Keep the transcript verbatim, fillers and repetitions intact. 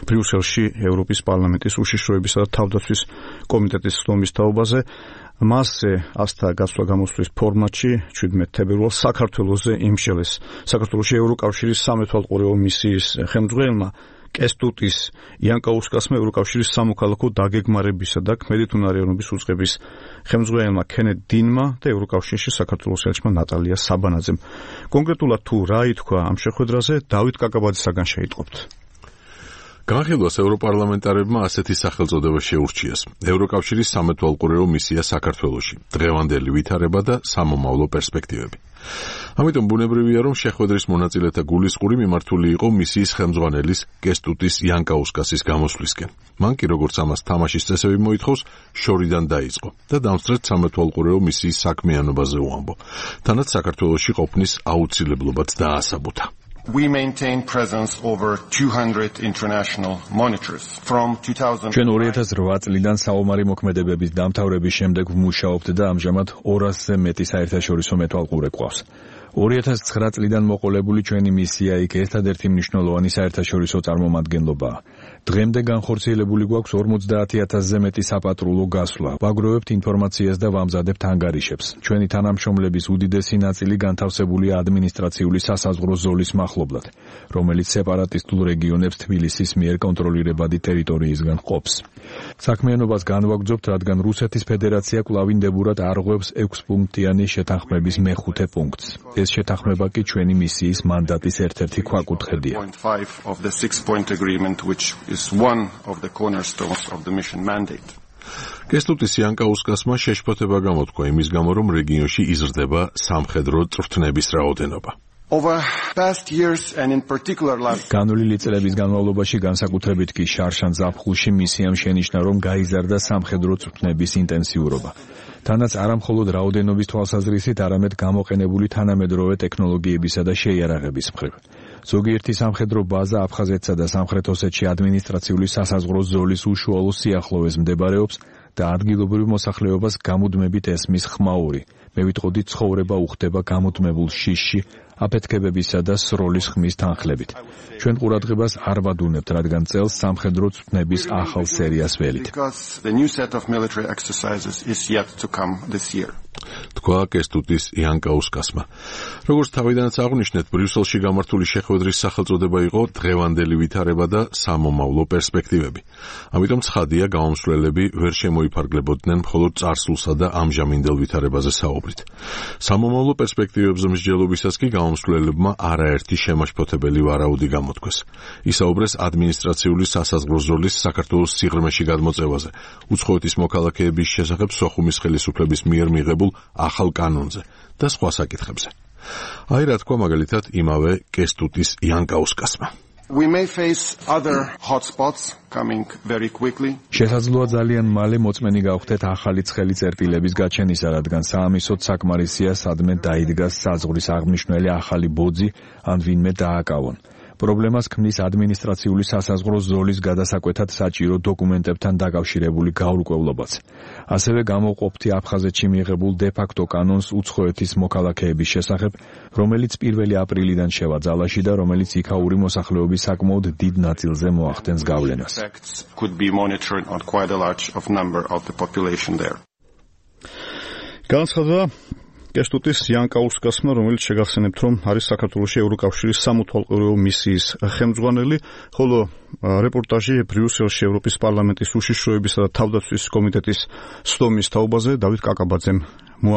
ბრიუსელში ევროპის პარლამენტის უშიშროებისა და თავდაცვის კომიტეტის სხდომის თაობაზე. მასზე ასთა გასვლა გამოსვლის ფორმატში შვიდმეტ თებერვალს საქართველოზე იმშელეს საქართველოში ევროკავშირის სამეთვალყურეო მისიის ხელმძღვანელმა კესტუტის იანკაუსკასმა ევროკავშირის სამოქალაქო დაგეგმარებისა და ქმედითუნარიანობის უწყების ხელმძღვანელმა კენეთ დინმა და ევროკავშირში საქართველოს ელჩმა ნატალია საბანაძემ. კონკრეტულად თუ რა ითქვა ამ შეხვედრაზე, დავით კაკაბაძისაგან შეიტყობთ. განხილვას ევროპარლამენტარებმა ასეთი სახელწოდება შეურჩიეს. ევროკავშირის სამეთვალყურეო მისია საქართველოში, დღევანდელი ვითარება და სამომავლო პერსპექტივები. ამიტომ ბუნებრივია, რომ შეხვედრის მონაწილეთა გულისყური მიმართული იყო მისიის ხელმძღვანელის კესტუტის იანკაუსკასის გამოსვლისკენ. მან კი როგორც ამას თამაშის წესები მოითხოვს, შორიდან დაიწყო და დამსწრეთ სამეთვალყურეო მისიის საქმიანობაზე უამბო. თანაც საქართველოში ყოფნის აუცილებლობაც დაასაბუთა. We maintain presence over two hundred international monitors from two thousand. ჩვენ ორი ათას რვა წლიდან საომარი მოქმედებების დამთავრების შემდეგ ვმუშაობთ და ამჟამად ორასზე მეტი საერთაშორისო მეთვალყურე გვყავს. ორი ათას ცხრა წლიდან მოყოლებული ჩვენი მისია იქ ერთადერთი მნიშვნელოვანი საერთაშორისო წარმომადგენლობაა. დღემდე განხორციელებული გვაქვს ორმოცდაათი ათასზე მეტი საპატრულო გასვლა. ვაგროვებთ ინფორმაციას და ვამზადებთ ანგარიშებს. ჩვენი თანამშრომლების უდიდესი ნაწილი განთავსებულია ადმინისტრაციული სასაზღვრო ზოლის მახლობლად, რომელიც სეპარატისტულ რეგიონებს თბილისის მიერ კონტროლირებადი ტერიტორიისგან ყოფს. საქმიანობას განვაგრძობთ, რადგან რუსეთის ფედერაცია კვლავინდებურად არღვევს ექვსპუნქტიანი შეთანხმების მეხუთე პუნქტს. ეს შეთანხმება კი ჩვენი მისიის მანდატის ერთ-ერთი ქვაკუთხედია. კესტუტის იანკაუსკასმა შეშფოთება გამოთქვა იმის გამო, რომ რეგიონში იზრდება სამხედრო წვრთნების რაოდენობა. განვლილი წლების განმავლობაში, განსაკუთრებით კი შარშან ზაფხულში მისიამ შენიშნა, რომ გაიზარდა სამხედრო წვრთნების ინტენსიურობა. თანაც არა მხოლოდ რაოდენობის თვალსაზრისით, არამედ გამოყენებული თანამედროვე ტექნოლოგიებისა და შეიარაღების მხრივ. ზოგიერთი სამხედრო ბაზა აფხაზეთსა და სამხრეთ ოსეთში ადმინისტრაციული სასაზღვრო ზოლის უშუალო სიახლოვეს მდებარეობს და ადგილობრივ მოსახლეობას გამუდმებით ესმის ხმაური. მე ვიტყოდი, ცხოვრება უხდება გამუდმებულ შიშში, აფეთქებებისა და სროლის ხმის თანხლებით. ჩვენ ყურადღებას არ ვადუნებთ, რადგან წელს სამხედრო წვრთნების ახალ სერიას ველით. თქვა კესტუტის იანკაუსკასმა. როგორც თავიდანაც აღვნიშნეთ, ბრიუსელში გამართული შეხვედრის სახელწოდება იყო დღევანდელი ვითარება და სამომავლო პერსპექტივები. ამიტომ ცხადია, გამომსვლელები ვერ შემოიფარგლებოდნენ მხოლოდ წარსულსა და ამჟამინდელ ვითარებაზე საუბრით. სამომავლო პერსპექტივებზე მსჯელობისას კი გამომსვლელებმა არაერთი შემაშფოთებელი ვარაუდი გამოთქვეს. ისაუბრეს ადმინისტრაციული სასაზღვრო ზოლის საქართველოს სიღრმეში გადმოწევაზე, უცხოეთის მოქალაქეების შესახებ სოხუმის ხელისუფლების მიერ მიღებულ ახალ კანონზე და სხვა საკითხებზე. აი რა თქვა მაგალითად იმავე კესტუტის იანკაუსკასმა. We may face other hotspots coming very quickly. შესაძლოა ძალიან მალე მოწმენი გავხდეთ ახალი ცხელი წერტილების გაჩენისა, რადგან საამისოდ საკმარისია სადმე დაიდგას საზღვრის აღმნიშვნელი ახალი ბოძი ან ვინმე დააკავონ. პრობლემას ქმნის ადმინისტრაციული სასაზღვრო ზოლის გადასაკვეთად საჭირო დოკუმენტებთან დაკავშირებული გაურკვევლობაც. ასევე გამოყოფთი აფხაზეთში მიღებულ დე-ფაქტო კანონს უცხოეთის მოქალაქეების შესახებ, რომელიც პირველი აპრილიდან შევა ძალაში და რომელიც იქაური მოსახლეობის საკმაოდ დიდ ნაწილზე მოახდენს გავლენას. განაცხადა კესტუტის იანკაუსკასმა, რომელიც შეგახსენებთ, რომ არის საქართველოში ევროკავშირის სამეთვალყურეო მისიის ხელმძღვანელი, ხოლო რეპორტაჟი ბრიუსელში ევროპის პარლამენტის უშიშროებისა და თავდაცვის კომიტეტის სხდომის თაობაზე დავით კაკაბაძემ მოამზადა.